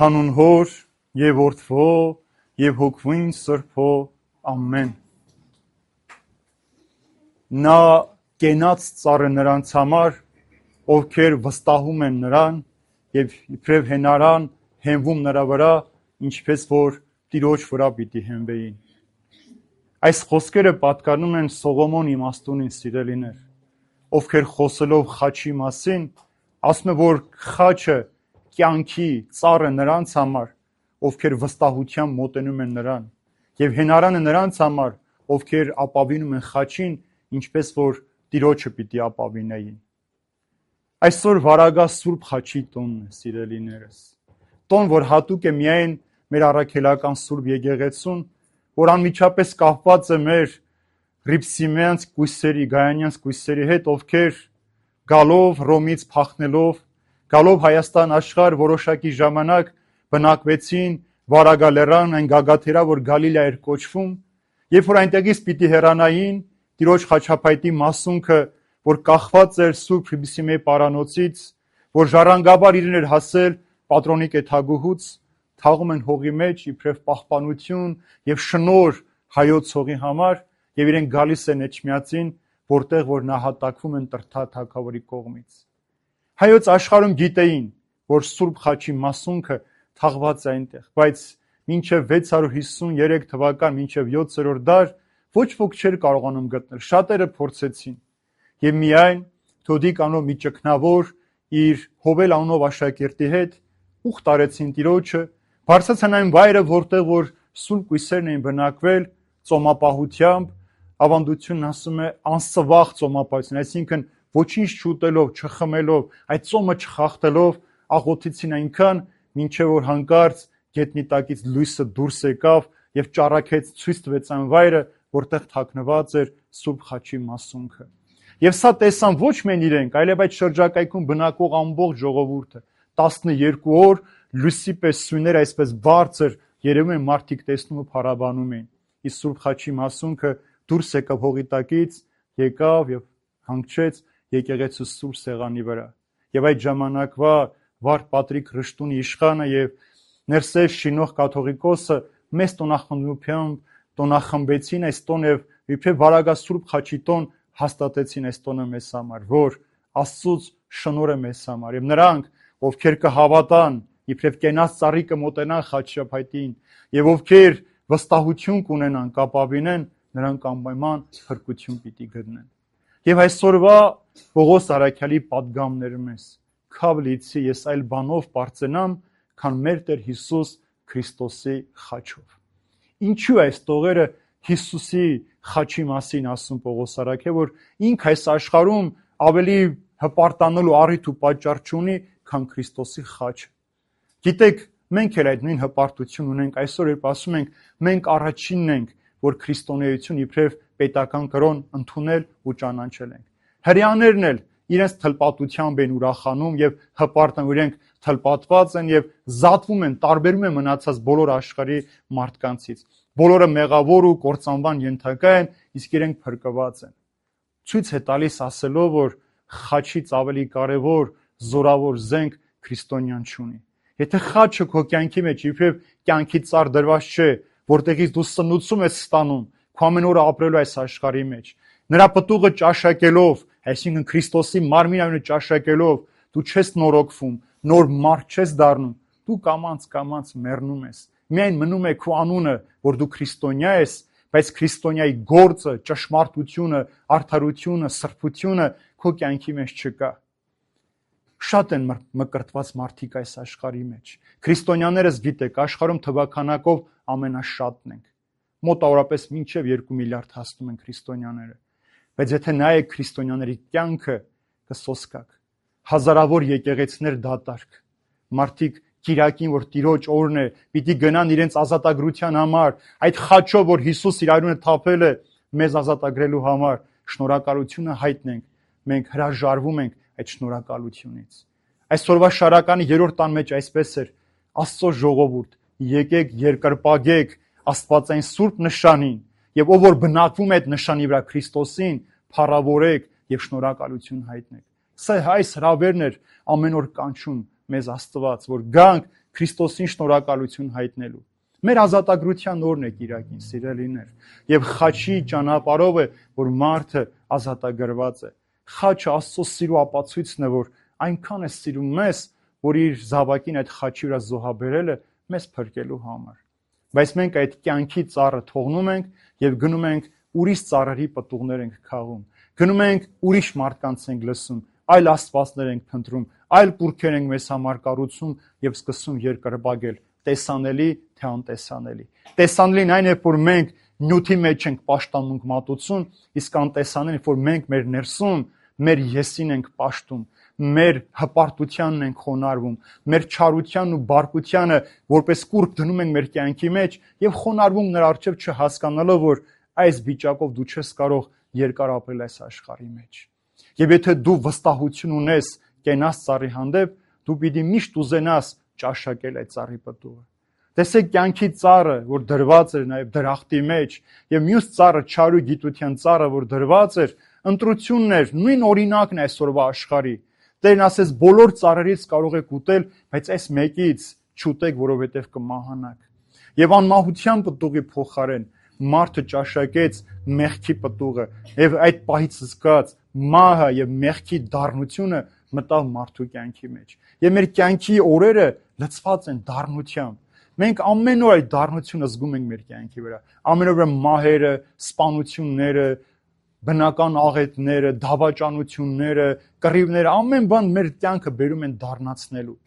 Հանուն Հոր եւ Որդվո եւ Հոգվին Սրբո ամեն։ Նա կենաց ծառը նրանց համար, ովքեր վստահում են նրան եւ իբրև հենարան հենվում նրա վրա, ինչպես որ Տիրոջ վրա պիտի հենվեին։ Այս խոսքերը պատկանում են Սողոմոն իմաստունին, սիրելիներ, ովքեր խոսելով խաչի մասին, ասում է, որ խաչը կյանքի ծառը նրանց համար, ովքեր վստահությամբ մոտենում են նրան, եւ հենարանը նրանց համար, ովքեր ապավինում են խաչին, ինչպես որ Տիրոջը պիտի ապավինեին։ Այսօր վարագա Սուրբ խաչի տոնն է, սիրելիներս։ Տոն, որ հատուկ է միայն մեր առաքելական Սուրբ եկեղեցուն, որ անմիջապես կապված է մեր Ռիփսիմյանց կույսերի, Գայանյանց կույսերի հետ, ովքեր գալով Ռոմից փախնելով, գալով Հայաստան աշխարհ որոշակի ժամանակ բնակվեցին Վարագա լեռան, այն գագաթերա, որ Գալիլա էր կոչվում, երբ որ այնտեղից պիտի հեռանային, Տիրոջ խաչապայտի մասունքը, որ կախված էր Սուրբ Ռիփսիմեի պարանոցից, որ ժառանգաբար իրեն էր հասել Պատրոնի կեթագուհուց, թաղում են հողի մեջ իբրև պահպանություն եւ շնոր հայոց հողի համար եւ իրեն գալիս են Էջմիածին, որտեղ որ նահատակվում են Տրթա թագավորի կողմից։ Հայոց աշխարհում գիտեին, որ Սուրբ խաչի մասունքը թաղված է այնտեղ, բայց մինչև 653 թվական, մինչև 7-րդ դար ոչ ոք չէր կարողանում գտնել, շատերը փորձեցին եւ միայն Թոդիկ անով մի ճգնավոր իր Հովել անով աշակերտի հետ ուխտ արեցին Տիրոջը, բարձրացան այն վայրը, որտեղ որ սուրբ կույսերն էին բնակվել ծոմապահությամբ, ավանդությունն ասում է անսվաղ ծոմապահություն, այսինքն ոչինչ չուտելով, չխմելով, այդ ծոմը չխախտելով, աղոթեցին այնքան, մինչև որ հանկարծ գետնի տակից լույսը դուրս եկավ եւ ճառագեց, ցույց տվեց այն վայրը, որտեղ թաքնված էր Սուրբ խաչի մասունքը։ Եվ սա տեսան ոչ միայն իրենք, այլև այդ շրջակայքում բնակող ամբողջ ժողովուրդը 12 օր լույսի պես սույները այսպես բարձր երևում են, մարդիկ տեսնում ու փառաբանում էին։ Իսկ Սուրբ խաչի մասունքը դուրս եկավ հողի տակից, եկավ եւ հանգչեց եկեղեցու Սուրբ սեղանի վրա։ Եվ այդ ժամանակվա Վարդ Պատրիկ Ռշտունի իշխանը եւ Ներսես Շինող կաթողիկոսը մեծ տոնախմբությամբ տոնախմբեցին այս տոն եւ իբրև Վարագա Սուրբ խաչի տոն հաստատեցին այս տոնը մեզ համար, որ Աստծուց շնորհը մեզ համար եւ նրանք, ովքեր կհավատան, իբրև կենաց ծառի կմոտենան խաչապայտին եւ ովքեր վստահություն կունենան, կապավինեն, նրանք անպայման փրկություն պիտի գտնեն։ Եվ այսօրվա Պողոս Արաքյալի պատգամները մեզ քավ լիցի ես այլ բանով բարձենամ, քան մեր Տեր Հիսուս Քրիստոսի խաչով։ Ինչու է այս տողերը Հիսուսի խաչի մասին ասում Պողոս Արաքյալը, որ ինք այս աշխարհում ավելի հպարտանալու առիթ ու պատճառ չունի, քան Քրիստոսի խաչը։ Գիտեք, մենք էլ այդ նույն հպարտություն ունենք այսօր, երբ ասում ենք, մենք առաջինն ենք, որ քրիստոնեություն իբրև պետական կրոն ընդունել ու ճանաչել ենք։ Հրեաներն էլ իրենց թլպատությամբ են ուրախանում եւ հպարտան, որ իրենք թլպատված են եւ զատվում են, տարբերում են մնացած բոլոր աշխարհի մարդկանցից։ Բոլորը մեղավոր ու կործանման ենթակա են, իսկ իրենք փրկված են։ Ցույց է տալիս ասելով, որ խաչից ավելի կարևոր զորավոր զենք քրիստոնյան չունի։ Եթե խաչը քո կյանքի մեջ իբրև կյանքի ծառ դրված չէ, որտեղից դու սնուցում ես ստանում, քո ամեն օրը ապրելու այս աշխարհի մեջ, նրա պտուղը ճաշակելով, այսինքն Քրիստոսի մարմին այունը ճաշակելով, դու չես նորոգվում, նոր մարդ չես դառնում, դու կամաց մեռնում ես։ Միայն մնում է քո անունը, որ դու քրիստոնյա ես, բայց քրիստոնյայի գործը, ճշմարտությունը, արդարությունը, սրբությունը քո կյանքի մեջ չկա։ Շատ են մկրտված մարդիկ այս աշխարհի մեջ։ Քրիստոնյաներս գիտեք, աշխարհում թվականակով ամենաշատն ենք։ Մոտավորապես մինչև 2 միլիարդ հասնում են քրիստոնյաները։ Բայց եթե նայեք քրիստոնյաների կյանքը, կսոսկաք։ Հազարավոր եկեղեցիներ դատարկ։ Մարդիկ Կիրակին, որ Տիրոջ օրն է, պիտի գնան իրենց ազատագրության համար, այդ խաչով, որ Հիսուս իր արյունը թափել է մեզ ազատագրելու համար, շնորհակալությունը հայտնենք, մենք հրաժարվում ենք այդ շնորհակալությունից։ Այսօրվա շարականի 3-րդ տան մեջ այսպես էր. Աստծո ժողովուրդ, եկեք երկրպագեք Աստվածային սուրբ նշանին, եւ ով որ բնակվում է այդ նշանի վրա Քրիստոսին, փառավորեք եւ շնորհակալություն հայտնեք։ Սա այս հրավերն էր ամեն օր կանչում մեզ Աստված, որ գանք Քրիստոսին շնորհակալություն հայտնելու։ Մեր ազատագրության օրն է Կիրակին, սիրելիներ, եւ խաչի ճանապարհով է, որ մարդը ազատագրված է։ Խաչը Աստծո սիրո ապացույցն է, որ այնքան է սիրում մեզ, որ իր զավակին այդ խաչի վրա զոհաբերել է մեզ փրկելու համար։ Բայց մենք այդ կյանքի ծառը թողնում ենք եւ գնում ենք ուրիշ ծառերի պտուղներ ենք քաղում։ Գնում ենք ուրիշ մարդկանց ենք լսում, այլ աստվածներ ենք փնտրում, այլ կուռքեր ենք մեզ համար կառուցում եւ սկսում երկրպագել, տեսանելի թե անտեսանելի։ Տեսանելին այն է, որ մենք նյութի մեջ ենք պաշտամունք մատուցում, իսկ անտեսանելին, որ մենք մեր ներսում մեր եսին ենք պաշտում, մեր հպարտությանն ենք խոնարհվում, մեր չարությանն ու բարկությանը որպես կուռք դնում ենք մեր կյանքի մեջ եւ խոնարհվում նրա առջեւ չհասկանալով, որ այս վիճակով դու չես կարող երկար ապրել այս աշխարհի մեջ։ Եվ եթե դու վստահություն ունես կենաց ծառի հանդեպ, դու պիտի միշտ ուզենաս ճաշակել այդ ծառի պտուղը։ Տեսեք կյանքի ծառը, որ դրված էր նաև դրախտի մեջ, եւ մյուս ծառը, չարու գիտության ծառը, որ դրված էր, ընտրությունն էր, նույն օրինակն է այսօրվա աշխարհի։ Տերն ասես բոլոր ծառերից կարող եք ուտել, բայց այս մեկից չուտեք, որովհետև կմահանաք։ Եվ անմահության պտուղի փոխարեն մարդը ճաշակեց մեղքի պտուղը, եւ այդ պահից զգաց մահը եւ մեղքի դառնությունը մտավ մարդու կյանքի մեջ։ Եվ մեր կյանքի օրերը լցված են դառնությամբ։ Մենք ամեն օր այդ դառնությունը զգում ենք մեր կյանքի վրա։ Ամեն օր մահերը, սպանությունները, բնական աղետները, դավաճանությունները, կռիվները, ամեն բան մեր կյանքը բերում են դառնացնելու։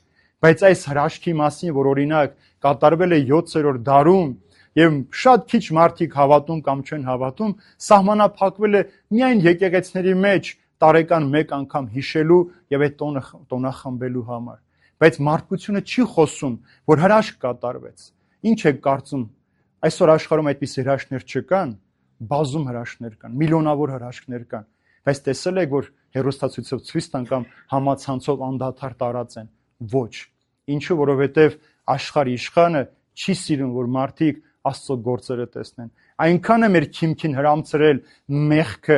Բայց այս հրաշքի մասին, որ օրինակ կատարվել է 7-րդ դարում, եւ շատ քիչ մարդիկ հավատում կամ չեն հավատում, սահմանափակվել է միայն եկեղեցիների մեջ տարեկան մեկ անգամ հիշելու եւ այդ տոնը խմբելու համար։ Բայց մարդկությունը չի խոսում, որ հրաշք կատարվեց։ Ինչ եք կարծում, այսօր աշխարհում այդպիսի հրաշքներ չկան, բազում հրաշքներ կան, միլիոնավոր հրաշքներ կան, բայց տեսել եք, որ հեռուստացույցով ցույց տան կամ համացանցով անդադար տարած են։ Ոչ։ Ինչու, որովհետև աշխարհի իշխանը չի սիրում, որ մարդիկ Աստծո գործերը տեսնեն։ Այնքան է մեր քիմքին հրամցրել մեղքը,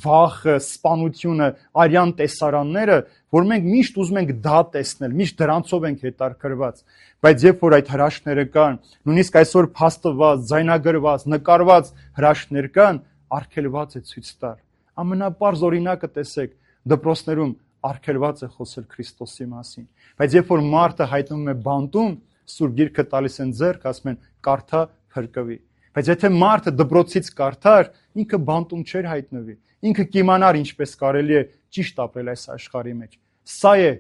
վախը, սպանությունը, արյան տեսարանները, որ մենք միշտ ուզում ենք դա տեսնել, միշտ դրանցով ենք հետաքրքրված։ Բայց երբ որ այդ հրաշքները կան, նույնիսկ այսօր փաստված, ձայնագրված, նկարված հրաշքներ կան, արգելված է ցույց տալ։ Ամենապարզ օրինակը տեսեք, դպրոցներում արգելված է խոսել Քրիստոսի մասին։ Բայց երբ որ մարդը հայտնվում է բանտում, Սուրբ Գիրքը տալիս են ձեռք, ասում են կարդա, փրկվի։ Բայց եթե մարդը դպրոցից կարդար, ինքը բանտում չէր հայտնվի։ Ինքը կիմանար ինչպես կարելի է ճիշտ ապրել այս աշխարհի մեջ։ Սա է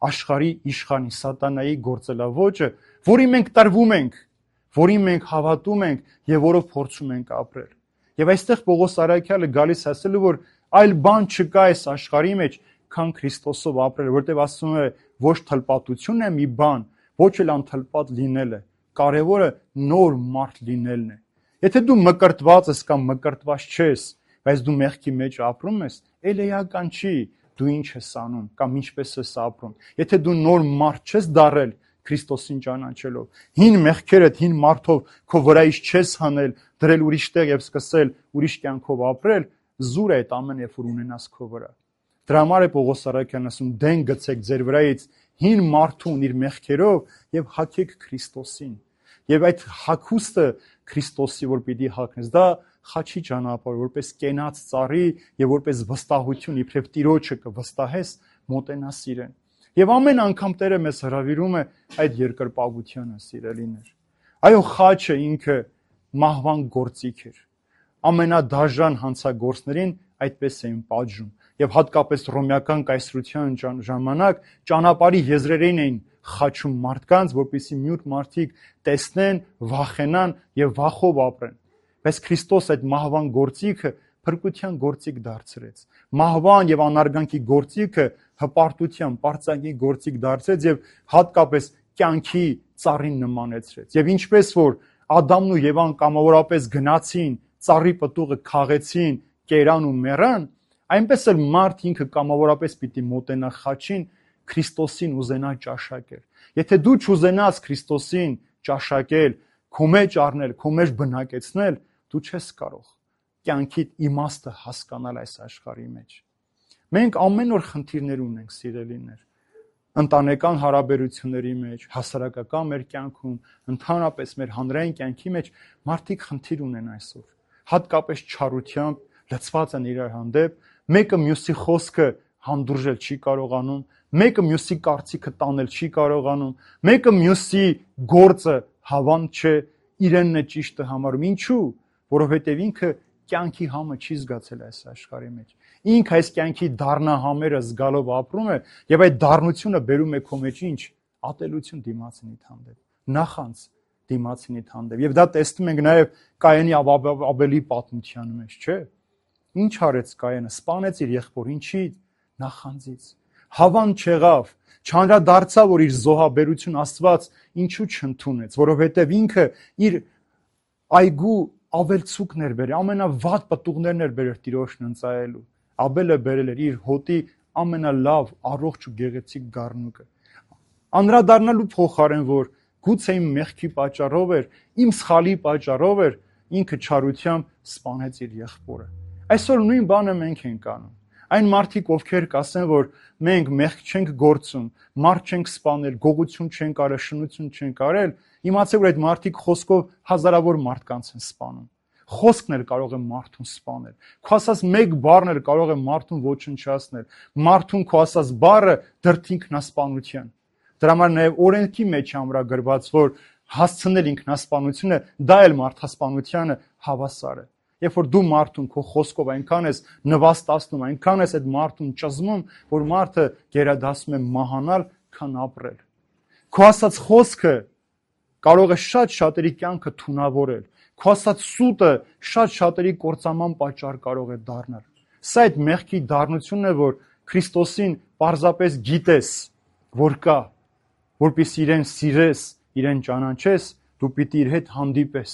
աշխարհի իշխանի սատանայի գործելավոճը, որի մենք տրվում ենք, որին մենք հավատում ենք եւ որով փորձում ենք ապրել։ Եվ այստեղ Պողոս Արաքյալը գալիս ասելու, որ այլ բան չկա այս աշխարհի մեջ, քան Քրիստոսով ապրել, որտեղ ասում է ոչ թլպատությունն է մի բան, ոչ էլ անթլպատ լինելը։ Կարևորը նոր մարդ լինելն է։ Եթե դու մկրտված ես կամ մկրտված չես, բայց դու մեղքի մեջ ապրում ես, ել էական չի դու ինչ ես անում կամ ինչպես ես ապրում։ Եթե դու նոր մարդ չես դառել Քրիստոսին ճանաչելով, հին մեղքերդ, հին մարդով քո վրայից չես հանել, դրել ուրիշ տեղ եւ սկսել ուրիշ կյանքով ապրել, զուր է այդ ամեն երբ որ ունենաս քո վրա։ Դրա համար է Պողոս Արաքյանն ասում՝ դեն գցեք ձեր վրայից հին մարդուն իր մեղքերով եւ հագեք Քրիստոսին։ Եվ այդ հագուստը Քրիստոսի որ պիտի հագնես, դա խաչի ճանապարհ, որպես կենաց ծառի եւ որպես վստահություն իբրև Տիրոջը կվստահես, մոտենաս իրեն։ Եվ ամեն անգամ Տերը մեզ հրավիրում է այդ երկրպագությանը, սիրելիներ։ Այո, խաչը ինքը մահվան գործիք էր։ Ամենադաժան հանցագործներին այդպես էին պատժում։ Եվ հատկապես ռոմեական կայսրության ժամանակ ճանապարհի եզրերին էին խաչում մարդկանց, որպեսզի մյուտ մարդիկ տեսնեն, վախենան եւ վախով ապրեն։ Բայց Քրիստոս այդ մահվան գործիքը փրկության գործիք դարձրեց։ Մահվան եւ անարգանքի գործիքը հպարտության, պարծանքի գործիք դարձրեց եւ հատկապես կյանքի ծառին նմանեցրեց։ Եվ ինչպես որ Ադամն ու Եվան կամավորապես գնացին, ծառի պտուղը քաղեցին, կերան ու մեռան, այնպես էլ մարդ ինքը կամավորապես պիտի մոտենա խաչին, Քրիստոսին ուզենա ճաշակել։ Եթե դու չուզենաս Քրիստոսին ճաշակել, քո մեջ առնել, քո մեջ բնակեցնել, դու չես կարող կյանքի իմաստը հասկանալ այս աշխարհի մեջ։ Մենք ամեն օր խնդիրներ ունենք, սիրելիներ։ ընտանեկան հարաբերությունների մեջ, հասարակական մեր կյանքում, ընդհանրապես մեր հանրային կյանքի մեջ մարդիկ խնդիր ունեն այսօր։ Հատկապես չարությամբ լցված են իրար հանդեպ, մեկը մյուսի խոսքը հանդուրժել չի կարողանում, մեկը մյուսի կարծիքը տանել չի կարողանում, մեկը մյուսի գործը հավանդ չէ, իրենն է ճիշտը համարում։ Ինչու՞։ Որովհետև ինքը կյանքի համը չի զգացել այս աշխարհի մեջ։ Ինքը այս կյանքի դառնահամերը զգալով ապրում է, եւ այդ դառնությունը բերում է քո մեջ ինչ։ Ատելություն դիմացինիդ հանդեպ, նախանց դիմացինիդ հանդեպ։ Եվ դա տեսնում ենք նաեւ Կայենի Աբելի պատմության մեջ, չէ՞։ Ինչ արեց Կայենը։ Սպանեց իր եղբոր, ինչի՞։ Նախանձից։ Հավան չեղավ, չանդրադարձավ, որ իր զոհաբերություն Աստված ինչու չընդունեց, որովհետև ինքը իր այգու ավելցուկն էր բերել, ամենավատ պտուղներն էր բերել Տիրոջն ընծայելու։ Աբելը բերել էր իր հոտի ամենալավ, առողջ ու գեղեցիկ գառնուկը։ Անդրադառնալու փոխարեն, որ գուցե իմ մեղքի պատճառով էր, իմ սխալի պատճառով էր, ինքը չարությամբ սպանեց իր եղբորը։ Այսօր նույն բանը մենք ենք անում։ Այն մարդիկ, ովքեր կասեն, որ մենք մեղք չենք գործում, մարդ չենք սպանել, գողություն չենք արել, շնություն չենք արել, իմացեք, որ այդ մարդիկ խոսքով հազարավոր մարդկանց են սպանում։ Խոսքն էլ կարող է մարդուն սպանել։ Քո ասած մեկ բառն էլ կարող է մարդուն ոչնչացնել։ Մարդուն քո ասած բառը դրդի ինքնասպանության։ Դրա համար նաև օրենքի մեջ ամրագրված, որ հասցնել ինքնասպանությունը, դա էլ մարդասպանությանը հավասար է։ Երբ որ դու մարդուն քո խոսքով այնքան ես նվաստացնում, այնքան ես այդ մարդուն ճզմում, որ մարդը գերադասում է մահանալ, քան ապրել։ Քո ասած խոսքը կարող է շատ շատերի կյանքը թունավորել։ Քո ասած սուտը շատ շատերի կործանման պատճառ կարող է դառնալ։ Սա այդ մեղքի դառնությունն է, որ Քրիստոսին պարզապես գիտես, որ կա, որպեսզի իրեն սիրես, իրեն ճանաչես, դու պիտի իր հետ հանդիպես։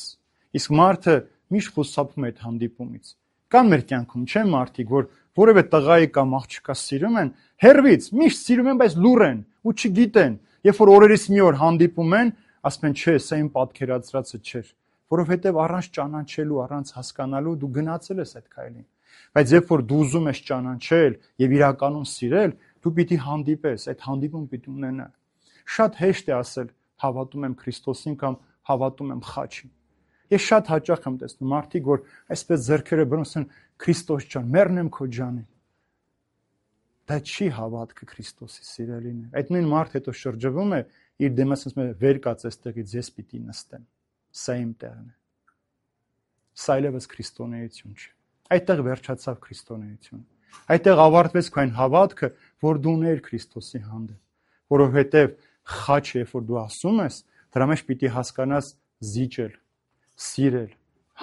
Իսկ մարդը միշտ խուսափում է այդ հանդիպումից։ Կան մեր կյանքում, չէ՞ մարդիկ, որ որևէ տղայի կամ աղջկա սիրում են, հերվից միշտ սիրում են, բայց լուռ են ու չգիտեն։ Երբ որ օրերից մի օր հանդիպում են, ասում են, չէ, սա իմ պատկերացրածը չէր, որովհետև առանց ճանաչելու, առանց հասկանալու դու գնացել ես այդ քայլին։ Բայց երբ որ դու ուզում ես ճանաչել եւ իրականում սիրել, դու պիտի հանդիպես, այդ հանդիպում պիտի ունենա։ Շատ հեշտ է ասել հավատում եմ Քրիստոսին կամ հավատում եմ խաչին։ Ես շատ հաճախ եմ տեսնում մարդիկ, որ այսպես ձեռքերը բռնում են Քրիստոս ջան, մեռնեմ քո ջանին։ Դա չի հավատքը Քրիստոսի սիրելին է։ Այդ նույն մարդ հետո շրջվում է իր դեմը ասում է վեր կաց այստեղից ես պիտի նստեմ։ Սա իմ տեղն է։ Սա այլևս քրիստոնեություն չէ։ Այդտեղ վերջացավ քրիստոնեությունը։ Այդտեղ ավարտվեց քո այն հավատքը, որ դու ունեիր Քրիստոսի հանդեպ, որովհետև խաչը, երբ որ դու ասում ես, դրա մեջ պիտի հասկանաս զիջել, սիրել,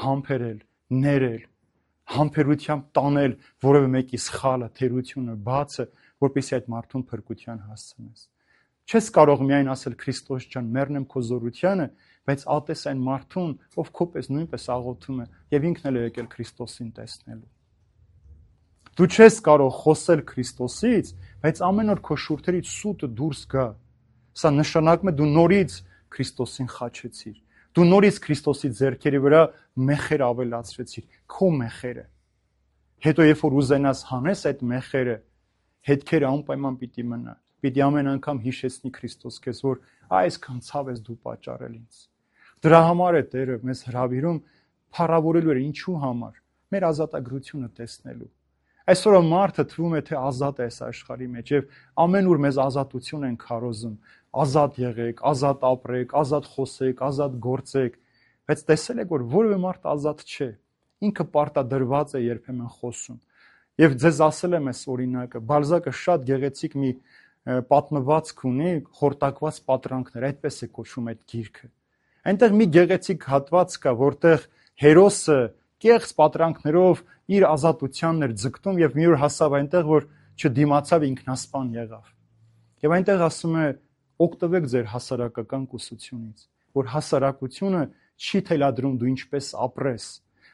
համբերել, ներել, համբերությամբ տանել որևէ մեկի սխալը, թերությունը, բացը, որպեսզի այդ մարդուն փրկության հասցնես։ Չես կարող միայն ասել Քրիստոս ջան, մեռնեմ քո զորությանը, բայց ատես այն մարդուն, ով քո պես նույնպես աղոթում է եւ ինքն էլ է եկել Քրիստոսին տեսնելու։ Դու չես կարող խոսել Քրիստոսից, բայց ամեն օր քո շուրթերից սուտը դուրս գա։ Սա նշանակում է դու նորից Քրիստոսին խաչեցիր։ Դու նորից Քրիստոսի ձեռքերի վրա մեխեր ավելացրեցիր, քո մեխերը։ Հետո երբ որ ուզենաս հանես այդ մեխերը, հետքերը անպայման պիտի մնա։ Պիտի ամեն անգամ հիշեցնի Քրիստոս քեզ, որ այսքան ցավ ես դու պատճառել ինձ։ Դրա համար է Տերը մեզ հրավիրում փառավորելու էր ինչու համար։ Մեր ազատագրությունը տեսնելու։ Այսօր մարդը թվում է թե ազատ է այս աշխարհի մեջ եւ ամենուր մեզ ազատություն են քարոզում։ Ազատ եղեք, ազատ ապրեք, ազատ խոսեք, ազատ գործեք, բայց տեսել եք որ որևէ մարդ ազատ չէ։ Ինքը պարտադրված է երբեմն խոսում։ Եվ ձեզ ասել եմ այս օրինակը, Բալզակը շատ գեղեցիկ մի պատմվածք ունի, խորտակված պատրանքներ, այդպես է կոչվում այդ գիրքը։ Այնտեղ մի գեղեցիկ հատված կա, որտեղ հերոսը կեղծ պատրանքներով իր ազատությանն էր ձգտում եւ մի օր հասավ այնտեղ, որ չդիմացավ ինքնասպան եղավ։ Եվ այնտեղ ասում է օգտվեք ձեր հասարակական կուսությունից, որ հասարակությունը չի թելադրում դու ինչպես ապրես։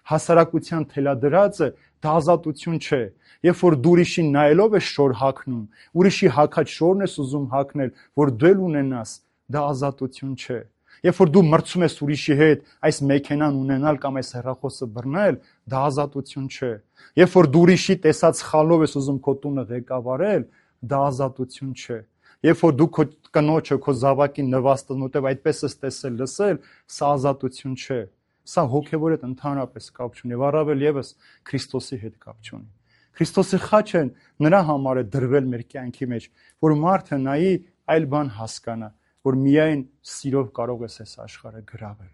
Հասարակության թելադրածը դա ազատություն չէ։ Երբ որ դու ուրիշին նայելով ես շոր հագնում, ուրիշի հագած շորն ես ուզում հագնել, որ դու էլ ունենաս, դա ազատություն չէ։ Երբ որ դու մրցում ես ուրիշի հետ այս մեքենան ունենալ կամ այս հեռախոսը բռնել, դա ազատություն չէ։ Երբ որ դու ուրիշի տեսած սխալով ես ուզում քո տունը ղեկավարել, դա ազատություն չէ։ Երբ որ դու քո կնոջը, քո զավակին նվաստն ուտև այդպես ես տեսել, լսել, սա ազատություն չէ։ Սա հոգևոր հետ ընդհանրապես կապ չունի, եւ առավել եւս Քրիստոսի հետ կապ չունի։ Քրիստոսի խաչը նրա համար է դրվել մեր կյանքի մեջ, որ մարդը նայի այլ բան հասկանա, որ միայն սիրով կարող ես այս աշխարհը գրավել։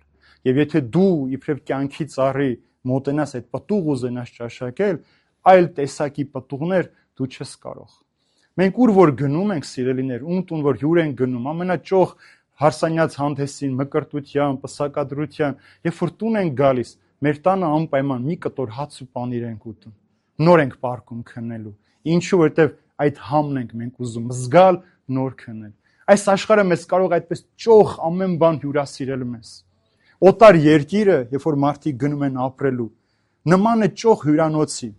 Եվ եթե դու իբրև կյանքի ծառի մոտենաս այդ պտուղ ուզենաս ճաշակել, այլ տեսակի պտուղներ դու չես կարող։ Մենք ուր որ գնում ենք, սիրելիներ, ում տուն որ հյուր ենք գնում, ամենաճոխ հարսանյաց հանդեսին, մկրտության, պսակադրության, երբ որ տուն ենք գալիս, մեր տանը անպայման մի կտոր հաց ու պանիր ենք ուտում։ Նոր ենք պարկում քննելու։ Ինչու, որտեվ այդ համն ենք մենք ուզում զգալ, նոր քննել։ Այս աշխարհը մեզ կարող այդպես ճոխ ամեն բան հյուրասիրել մեզ։ Օտար երկիրը, երբ որ մարդիկ գնում են ապրելու, նման է ճոխ հյուրանոցի։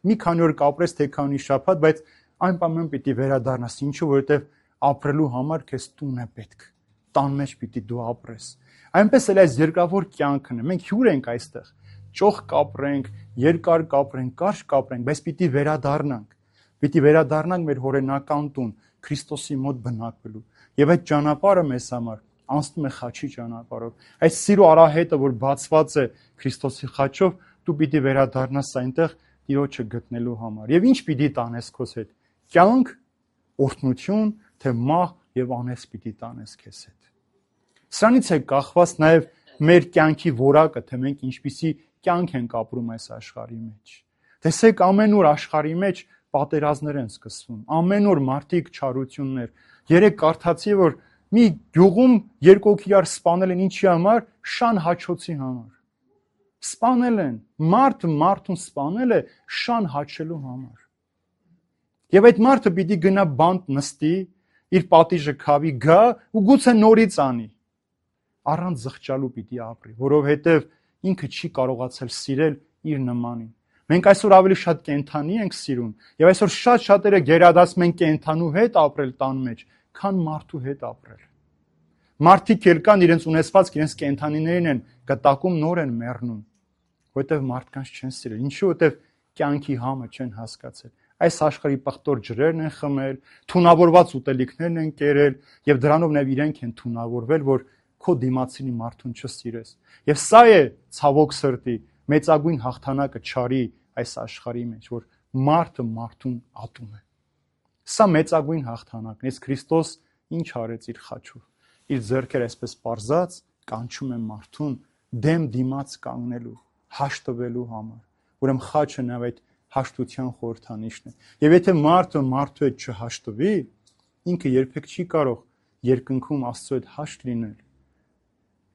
Մի քանի օր կապրես, թե քանի շաբաթ, բայց այնպամեն պիտի վերադառնաս, ինչու, որովհետև ապրելու համար քեզ տուն է պետք։ Տան մեջ պիտի դու ապրես։ Այնպես էլ այս երկրավոր կյանքն է։ Մենք հյուր ենք այստեղ։ Ճոխ կապրենք, երկար կապրենք, կարճ կապրենք, բայց պիտի վերադառնանք։ Պիտի վերադառնանք մեր հորենական տուն, Քրիստոսի մոտ բնակվելու։ Եվ այդ ճանապարհը մեզ համար անցնում է խաչի ճանապարհով։ Այս սիրո արահետը, որ բացված է Քրիստոսի խաչով, դու պիտի վերադառնաս այնտեղ Տիրոջը գտնելու համար։ Եվ ինչ պիտի տանես քեզ հետ։ Կյանք, օրհնություն, թե մահ եւ անես պիտի տանես քեզ հետ։ Սրանից է կախված նաեւ մեր կյանքի որակը, թե մենք ինչպիսի կյանք ենք ապրում այս աշխարհի մեջ։ Տեսեք, ամեն օր աշխարհի մեջ պատերազմներ են սկսվում։ Ամեն օր մարդիկ չարություններ։ Երեք կարդացի, որ մի գյուղում երկու հոգի իրար սպանել են ինչի համար, շան հաչոցի համար։ Սպանել են, մարդուն սպանել է շան հաչելու համար։ Եվ այդ մարդը պիտի գնա բանտ նստի, իր պատիժը քավի գա ու գուցե նորից անի։ Առանց զղջալու պիտի ապրի, որովհետև ինքը չի կարողացել սիրել իր նմանին։ Մենք այսօր ավելի շատ կենթանի ենք սիրում, եւ այսօր շատ-շատերը գերադասում են կենթանու հետ ապրել տան մեջ, քան մարդու հետ ապրել։ Մարդիկ էլ կան իրենց ունեցվածք, իրենց կենթանիներին են կտակում, նոր են մեռնում, որովհետև մարդկանց չեն սիրել։ Ինչու՞, որովհետև կյանքի համը չեն հասկացել։ Այս աշխարհի պղտոր ջրերն են խմել, թունավորված ուտելիքներն են կերել, եւ դրանով նաև իրենք են թունավորվել, որ քո դիմացինի մարդուն չսիրես։ Եվ սա է ցավոք սրտի մեծագույն հաղթանակը չարի այս աշխարհի մեջ, որ մարդը մարդուն ատում է։ Սա մեծագույն հաղթանակն է։ Իսկ Քրիստոս ինչ արեց իր խաչով։ Իր ձեռքերը այսպես պարզած կանչում է մարդուն դեմ դիմաց կանգնելու, հաշտվելու համար։ Ուրեմն խաչը նաև այդ հաշտության խորհրդանիշն է։ Եվ եթե մարդը մարդու հետ չհաշտվի, ինքը երբեք չի կարող երկնքում Աստծո հետ հաշտ լինել։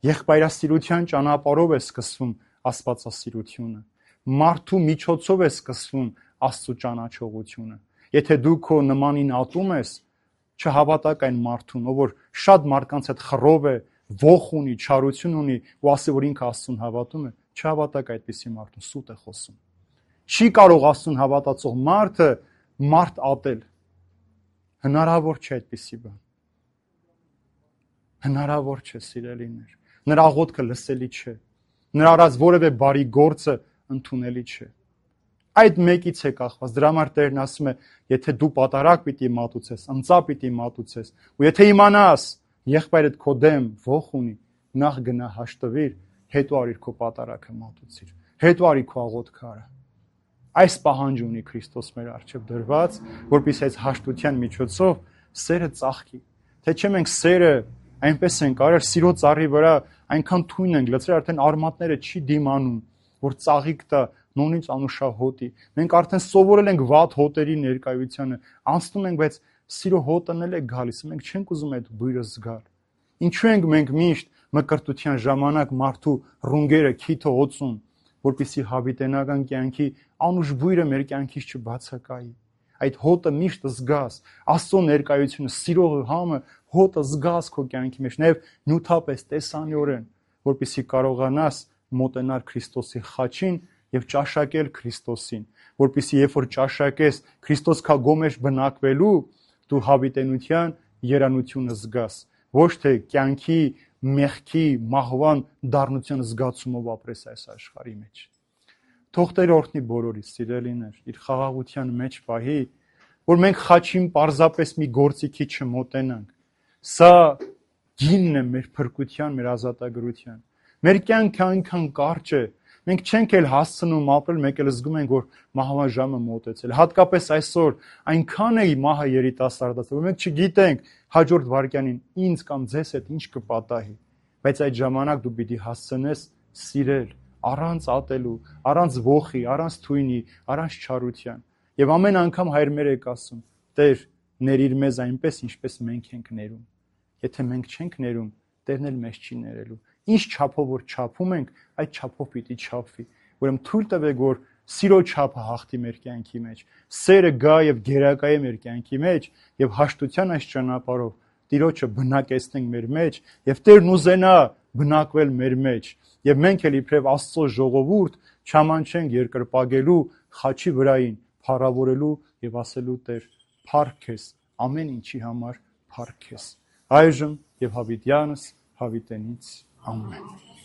Եղբայրասիրության ճանապարհով է սկսվում աստվածասիրությունը։ Մարդու միջոցով է սկսվում Աստծո ճանաչողությունը։ Եթե դու քո նմանին ատում ես, չհավատակ այն մարդուն, ով որ շատ մարդկանց հետ խռով է, ոխ ունի, չարություն ունի ու ասի, որ ինքը Աստծուն հավատում է, չհավատակ այդպիսի մարդուն, սուտ է խոսում։ Չի կարող Աստծուն հավատացող մարդը մարդ ատել։ Հնարավոր չէ այդպիսի բան։ Հնարավոր չէ, սիրելիներ։ Նրա աղոթքը լսելի չէ։ Նրա արած որևէ բարի գործը ընդունելի չէ։ Այդ մեկից է կախված։ Դրա համար Տերն ասում է, եթե դու պատարակ պիտի մատուցես, ընծա պիտի մատուցես, ու եթե իմանաս, եղբայրդ քո դեմ ոխ ունի, նախ գնա հաշտվիր, հետո արիր քո պատարակը մատուցիր, հետո արի քո աղոթքը արա։ Այս պահանջ ունի Քրիստոս մեր առջև դրված, որպեսզի այս հաշտության միջոցով սերը ծաղկի։ Թե չէ մենք սերը այնպես ենք արել, սիրո ծառի վրա այնքան թույն ենք լցրել, արդեն արմատները չի դիմանում, որ ծաղիկ տա նույնիսկ անուշահոտի։ Մենք արդեն սովորել ենք վատ հոտերի ներկայությանը, անցնում ենք, բայց սիրո հոտն էլ է գալիս, մենք չենք ուզում այդ բույրը զգալ։ Ինչու ենք մենք միշտ մկրտության ժամանակ մարդու ռունգերը քիթը օծում, որպեսզի հավիտենական կյանքի անուշ բույրը մեր կյանքից չբացակայի։ Այդ հոտը միշտ զգաս, Աստծո ներկայությունը, սիրո համը, հոտը զգաս քո կյանքի մեջ, նաև նյութապես, տեսանյորեն, որպեսզի կարողանաս մոտենալ Քրիստոսի խաչին եւ ճաշակել Քրիստոսին, որպեսզի երբ որ ճաշակես Քրիստոս քո գոմեջ բնակվելու, դու հավիտենության երանությունը զգաս, ոչ թե կյանքի, մեղքի, մահվան դառնության զգացումով ապրես այս աշխարհի մեջ։ Թող Տերը օրհնի բոլորիս, սիրելիներ, իր խաղաղության մեջ պահի, որ մենք խաչին պարզապես մի գործիքի չմոտենանք։ Սա գինն է մեր փրկության, մեր ազատագրության։ Մեր կյանքը այնքան կարճ է, մենք չենք էլ հասցնում ապրել, մենք էլ զգում ենք, որ մահվան ժամը մոտեցել։ Հատկապես այսօր այնքան է մահը երիտասարդացել, որ մենք չգիտենք հաջորդ վայրկյանին ինձ կամ ձեզ հետ ինչ կպատահի, բայց այդ ժամանակ դու պիտի հասցնես սիրել, առանց ատելու, առանց ոխի, առանց թույնի, առանց չարության։ Եվ ամեն անգամ Հայր մեր եք ասում. Տեր, ներիր մեզ այնպես, ինչպես մենք ենք ներում։ Եթե մենք չենք ներում, Տերն էլ մեզ չի ներելու։ Ինչ չափով որ չափում ենք, այդ չափով պիտի չափվի։ Ուրեմն թույլ տվեք, որ սիրո չափը հաղթի մեր կյանքի մեջ, սերը գա եւ գերակայի մեր կյանքի մեջ եւ հաշտության այս ճանապարհով Տիրոջը բնակեցնենք մեր մեջ եւ Տերն ուզենա բնակվել մեր մեջ եւ մենք էլ իբրև Աստծո ժողովուրդ չամանչենք երկրպագելու խաչի վրային, փառավորելու եւ ասելու Տեր, փառք քեզ, ամեն ինչի համար փառք քեզ։ Այժմ եւ հավիտյանս հավիտենից ամեն։